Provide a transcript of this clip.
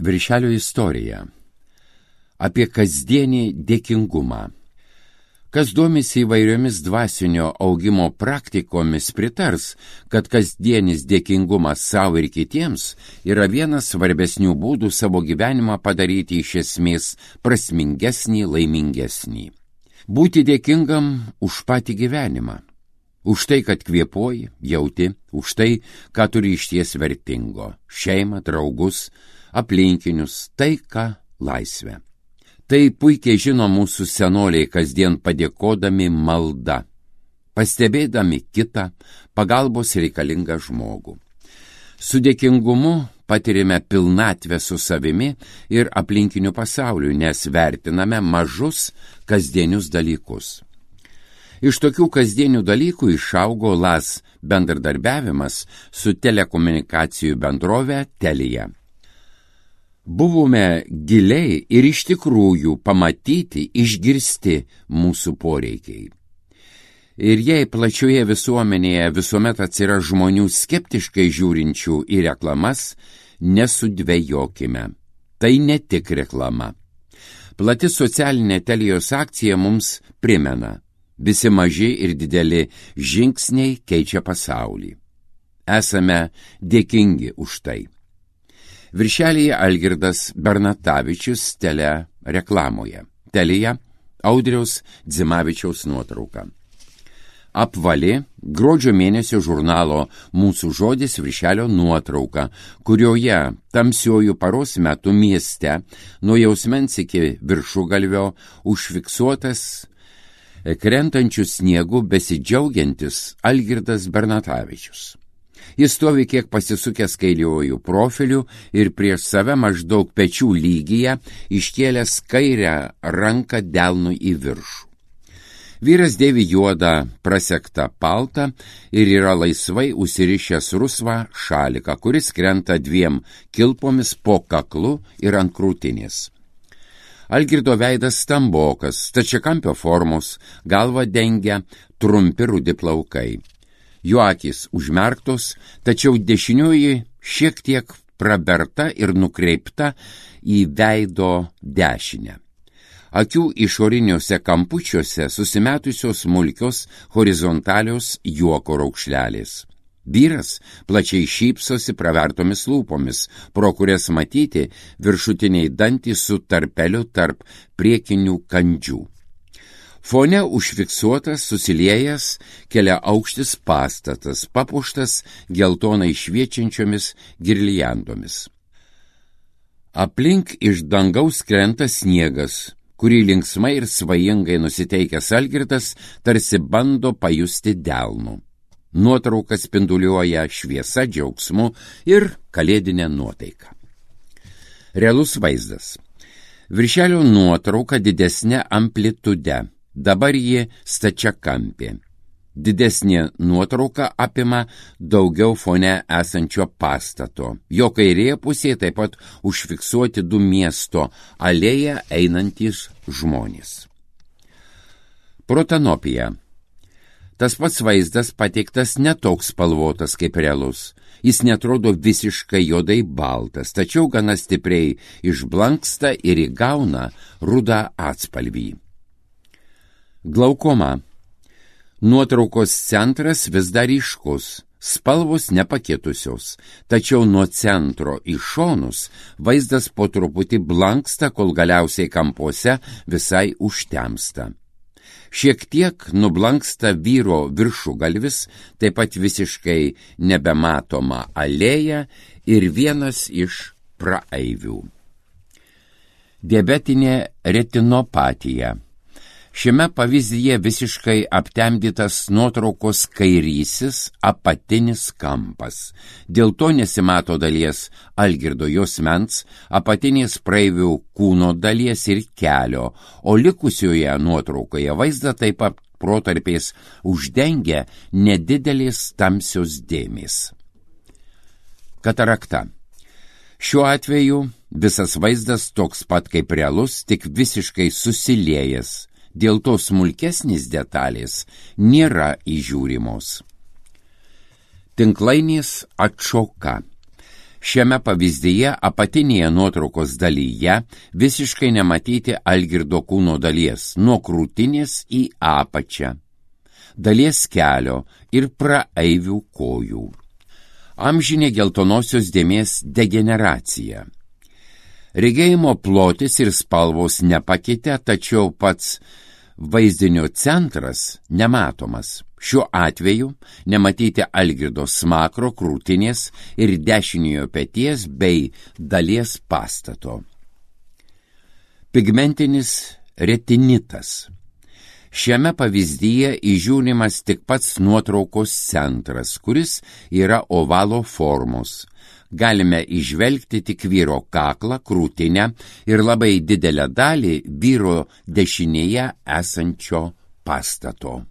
Viršelio istorija. Apie kasdienį dėkingumą. Kas domisi įvairiomis dvasinio augimo praktikomis, pritars, kad kasdienis dėkingumas savo ir kitiems yra vienas svarbesnių būdų savo gyvenimą padaryti iš esmės prasmingesnį, laimingesnį. Būti dėkingam už patį gyvenimą. Už tai, kad kvėpuoji, jauti, už tai, ką turi išties vertingo - šeimą, draugus, aplinkinius, taiką, laisvę. Tai puikiai žino mūsų senoliai kasdien padėkodami malda, pastebėdami kitą, pagalbos reikalingą žmogų. Su dėkingumu patirime pilnatvę su savimi ir aplinkiniu pasauliu, nes vertiname mažus kasdienius dalykus. Iš tokių kasdienių dalykų išaugo LAS bendradarbiavimas su telekomunikacijų bendrove Telia. Buvome giliai ir iš tikrųjų pamatyti, išgirsti mūsų poreikiai. Ir jei plačioje visuomenėje visuomet atsiras žmonių skeptiškai žiūrinčių į reklamas, nesudvejokime. Tai ne tik reklama. Plati socialinė Telijos akcija mums primena, visi maži ir dideli žingsniai keičia pasaulį. Esame dėkingi už tai. Viršelyje Algirdas Bernatavičius Telia reklamoje. Telija Audriaus Dzimavičiaus nuotrauka. Apvali gruodžio mėnesio žurnalo Mūsų žodis viršelio nuotrauka, kurioje tamsiojų paros metu mieste nuo Jausmens iki Viršugalvio užfiksuotas krentančių sniegų besidžiaugiantis Algirdas Bernatavičius. Jis stovi kiek pasisukęs kairiuoju profiliu ir prieš save maždaug pečių lygyje iškėlęs kairę ranką delnu į viršų. Vyras dėvi juodą prasektą paltą ir yra laisvai užsirišęs rusvą šaliką, kuris krenta dviem kilpomis po kaklu ir ant krūtinės. Algirdo veidas stambokas, stačiakampio formos, galvą dengia trumpi rudi plaukai. Jo akys užmerktos, tačiau dešinioji šiek tiek praberta ir nukreipta į veido dešinę. Akių išoriniuose kampučiuose susimetusios smulkios horizontalios juoko raukšlelės. Vyras plačiai šypsosi pravertomis lūpomis, pro kurias matyti viršutiniai dantys su tarpeliu tarp priekinių kandžių. Fone užfiksuotas susiliejęs keliaaukštis pastatas, papuoštas geltonai šviečiančiomis girliandomis. Aplink iš dangaus krenta sniegas, kurį linksmai ir svajingai nusiteikęs Algirdas tarsi bando pajusti delnu. Nuotrauka spinduliuoja šviesa, džiaugsmu ir kalėdinė nuotaika. Realus vaizdas. Viršelio nuotrauka didesnė amplitude. Dabar ji stačiakampė. Didesnė nuotrauka apima daugiau fone esančio pastato. Jo kairėje pusėje taip pat užfiksuoti du miesto alėją einantys žmonės. Protanopija. Tas pats vaizdas pateiktas netoks spalvotas kaip realus. Jis netrodo visiškai juodai baltas, tačiau gana stipriai išblanksta ir įgauna rudą atspalvį. Glaukoma. Nuotraukos centras vis dar ryškus, spalvos nepakitusios, tačiau nuo centro į šonus vaizdas po truputį blanksta, kol galiausiai kampuose visai užtemsta. Šiek tiek nublanksta vyro viršugalvis, taip pat visiškai nebematoma alėja ir vienas iš praeivių. Diabetinė retinopatija. Šiame pavyzdyje visiškai aptemdytas nuotraukos kairysis apatinis kampas. Dėl to nesimato dalies Algirdo juosmens, apatinės praeivių kūno dalies ir kelio, o likusioje nuotraukoje vaizdą taip pat protarpiais uždengia nedidelės tamsios dėmės. Katarakta. Šiuo atveju visas vaizdas toks pat kaip realus, tik visiškai susiliejęs. Dėl to smulkesnės detalės nėra įžiūrimos. Tinklainės atšoka. Šiame pavyzdyje apatinėje nuotraukos dalyje visiškai nematyti Algirdo kūno dalies nuo krūtinės į apačią, dalies kelio ir praeivių kojų. Amžinė geltonosios dėmės degeneracija. Regėjimo plotis ir spalvos nepakitę, tačiau pats vaizdinio centras nematomas. Šiuo atveju nematyti Algirdo smakro, krūtinės ir dešiniojo peties bei dalies pastato. Pigmentinis retinitas. Šiame pavyzdyje įžiūrimas tik pats nuotraukos centras, kuris yra ovalo formos. Galime įžvelgti tik vyro kaklą, krūtinę ir labai didelę dalį vyro dešinėje esančio pastato.